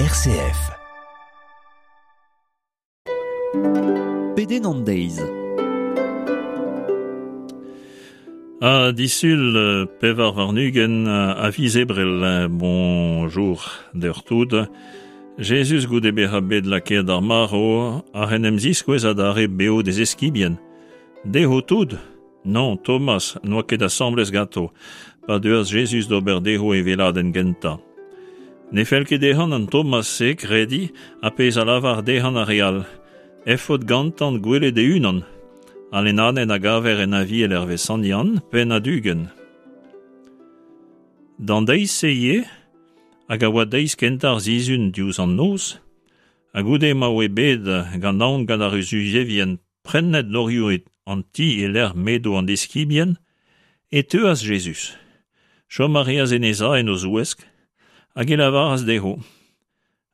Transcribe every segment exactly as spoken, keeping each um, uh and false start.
R C F. Pedenn an deiz. A disul pevar warn-ugent a viz Ebrel, bonjour deoc'h tout. Jezuz goude bezañ bet lakaet ar marv ar en em ziskouez adarre beo d'e eskibien. Dezho tout? Non, Thomas n'oa ket asambles ganto, pa deuas Jezuz d'ober dezho e weladenn gentañ. Ne fell ket dezhan an Thomas-se krediñ ha pezh a lavar dezhan ar re all. Efod gantan gwelet e-unan. Al lennadenn a gaver en Aviel hervez Sant Yann, penn ha ugent. D'an deiz-se ivez, hag a oa deiz kentañ ar sizhun diouzh an noz, ha goude ma oa bet gant aon gant ar Yuzevien prennet dorioù an ti e-lec'h m'edo an deskibien, e teuas Jezuz. Chom a reas en e za en o zouesk, hag e lavaras dezho,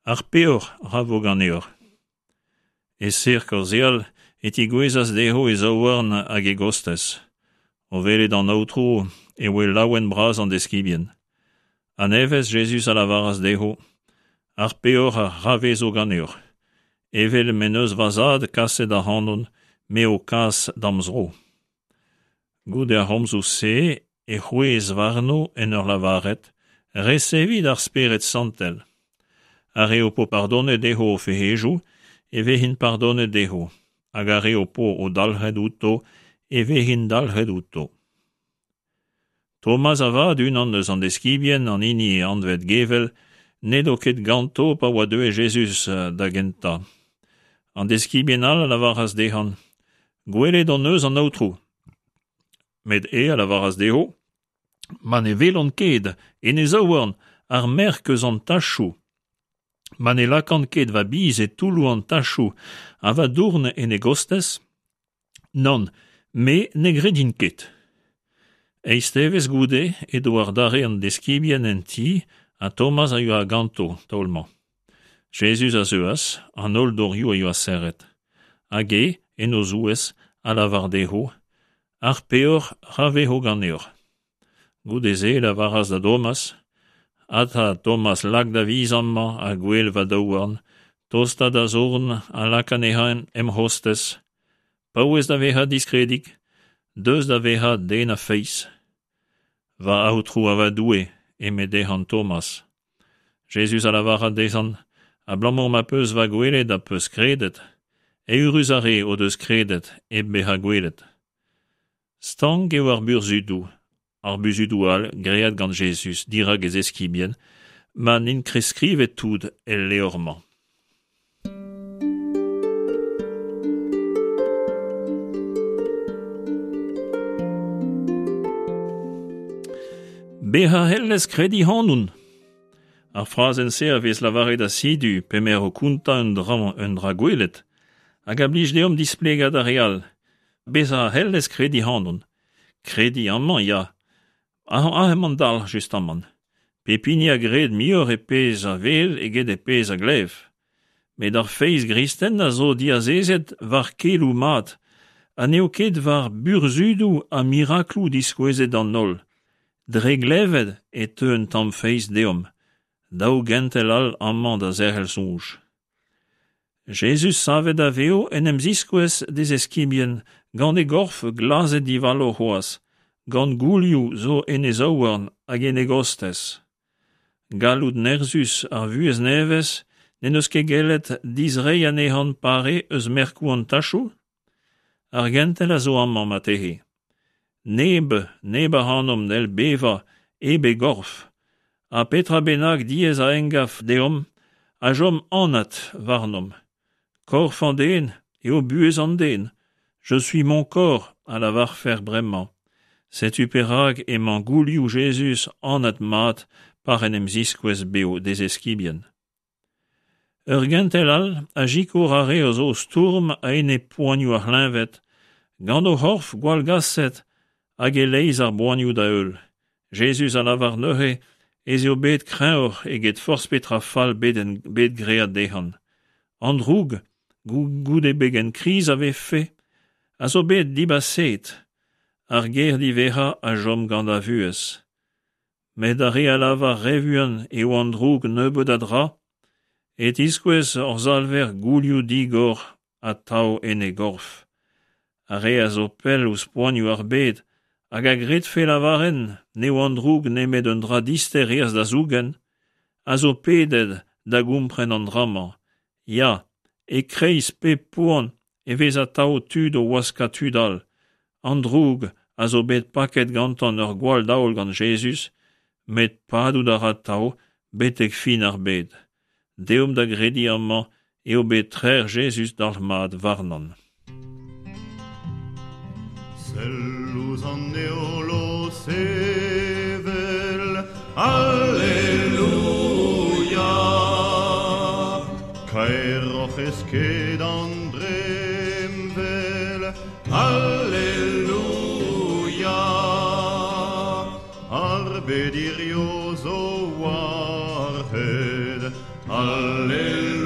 ar peoc'h ra vo ganeoc'h. E ser kaozeal e tigouezas dezho e zaouarn hag e gostez. O welet an aotrou e oa laouen bras an deskibien. A-nevez Jezuz a lavaras dezho, ar peoc'h ra vezo ganeoc'h. Evel m'en deus va zad kaset ac'hanon, me ho kas d'am zro. Goude ar c'homzoù-se e c'hwezh warno en ur lavaret, resevit ar Spered Santel. Ar re ho po pardonet dezho o fec'hedoù, e vezint pardonet dezho, hag ar re ho po o dalc'het outo, e vezint dalc'het outo. Thomas avat unan eus an deskibien an hini anvet Gevel, n'edo ket ganto pa oa deuet Jezuz da gentañ. An deskibien all a lavaras dezhan, gwelet hon eus an aotrou. Met e a lavaras dezho, ma ne welont ket en e zaouarn ar merk eus an tachoù, ma ne lakan ket va biz e toulloù an tachoù ha va dourn en e gostez, nann, me ne gredin ket. Eizh devezh goude edo adarre an deskibien en ti ha Thomas a yoa ganto taol-mañ. Jezuz a zeuas, an holl dorioù a yoa serret. Hag e, en o zouez, a lavar dezho, ar peoc'h ra vezo ganeoc'h. Goude-se e lavaras da Thomas, Ata Thomas lak da viz amañ ha gwel va daouarn, tosta da zorn ha lak anezhañ em c'hostez. Paouez da vezañ diskredik, deus da vezañ den a feiz. Va aotrou ha va Doue, eme dezhan Thomas. Jezuz a lavaras dezhan, abalamour ma peus va gwelet ha peus kredet, eürus ar re o deus kredet hep bezañ gwelet. Stank eo ar burzhudoù, ar burzhudoù all graet gant Jezuz dirak e zeskibien, ma n'int ket skrivet tout el levr-mañ. Bezañ c'hellez krediñ ac'hanon. Ar frazenn-se a vez lavaret asidu p'emaer o kontañ un dra, un dra gwelet, hag a blij deomp displegañ d'ar re all. Bezañ c'hellez krediñ ac'hanon. Krediñ amañ, ya. Aze emañ an dalc'h justamant. Pep hini a gred muioc'h e pezh a wel eget e pezh a glev. Met ar feiz gristen a zo diazezet war keloù mat, ha n'eo ket war burzhudoù ha mirakloù diskouezet d'an holl. Dre glevet e teu un tamm feiz deomp, daou gentel all amañ da zerc'hel soñj. Jezuz savet a vev en em ziskouez d'e zeskibien gant e gorf glazet divalo c'hoazh, gant goulioù zo en e zaouarn hag en e gostez. Galloud nerzhus ar vuhez nevez n'en deus ket gellet dizreiñ anezhan pare eus merkoù an tachoù? Ar gentel a zo amañ marteze. Neb, neb ac'hanomp n'hell bevañ hep e gorf, ha petra bennak diaes a emgav deomp a chom anat warnomp. Korf an den eo buhez an den. Je suis mon corps, a lavarfer bremañ. Setu perak emañ goulioù Jezuz anat mat par en em ziskouez beo d'e zeskibien. Ur gentel all a sikour ar re a zo stourm a-enep poanioù ar c'hleñved, gant o c'horf gwallgaset hag e-leizh ar boanioù da heul. Jezuz a lavar neuze ez eo bet kreñvoc'h eget forzh petra fall bet, en, bet graet dezhan. An droug, goude begen kriz a vefe, a zo bet dibaset, ar ger diwezhañ a chom gant ar vuhez. Met ar re a lavar re vuan eo an droug nebeut a dra, e tiskouez hor Salver goulioù digor atav en e gorf. Ar re a zo pell ouzh poanioù ar bed hag a gredfe lavaret n'eo an droug nemet un dra dister aes da zougen, a zo pedet da gompren an dra-mañ. Ya, e-kreiz pep poan e vez atav tud o waskañ tud all. An droug a zo bet paket gantañ ur gwall daol gant Jezuz, met padout a ra atav betek fin ar bed. Deomp da grediñ amañ eo bet trec'h Jezuz dalc'hmat warnañ. Sell ouzh an heol o sevel, Alleluia! Kaeroc'h eo sked an dremmwel, Alleluia! Ar bed hirio zo war-c'hed, Alleluia!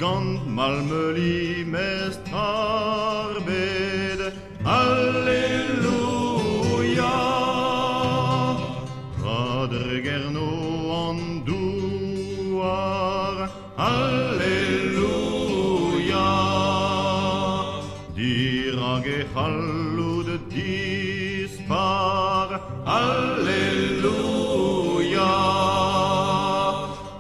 Gant mall meuliñ mestr ar bed, Alleluia! Ra dregerno an douar, Alleluia! Dirak e c'halloud dispar, Alleluia!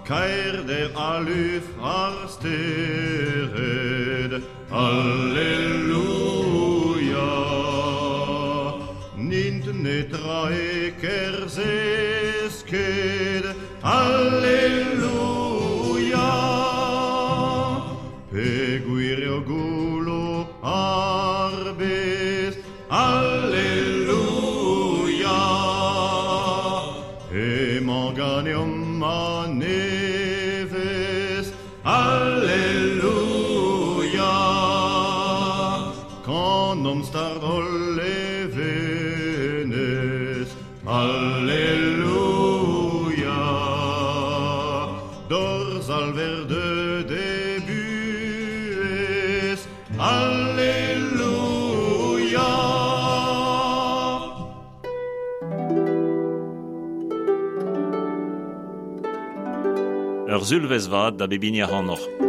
Kaerder ha lufr ar stered, Alleluia! N'int netra e-kerzh e sked, Alleluia! Peogwir eo goullo ar bez, Alleluia! Emañ ganeomp a-nevez, Alleluia! Kanomp start hol levenez, Alleluia! D'hor Salver deuet e buhez, Alleluia! Ur sulvezh vat da bep hini ac'hanoc'h.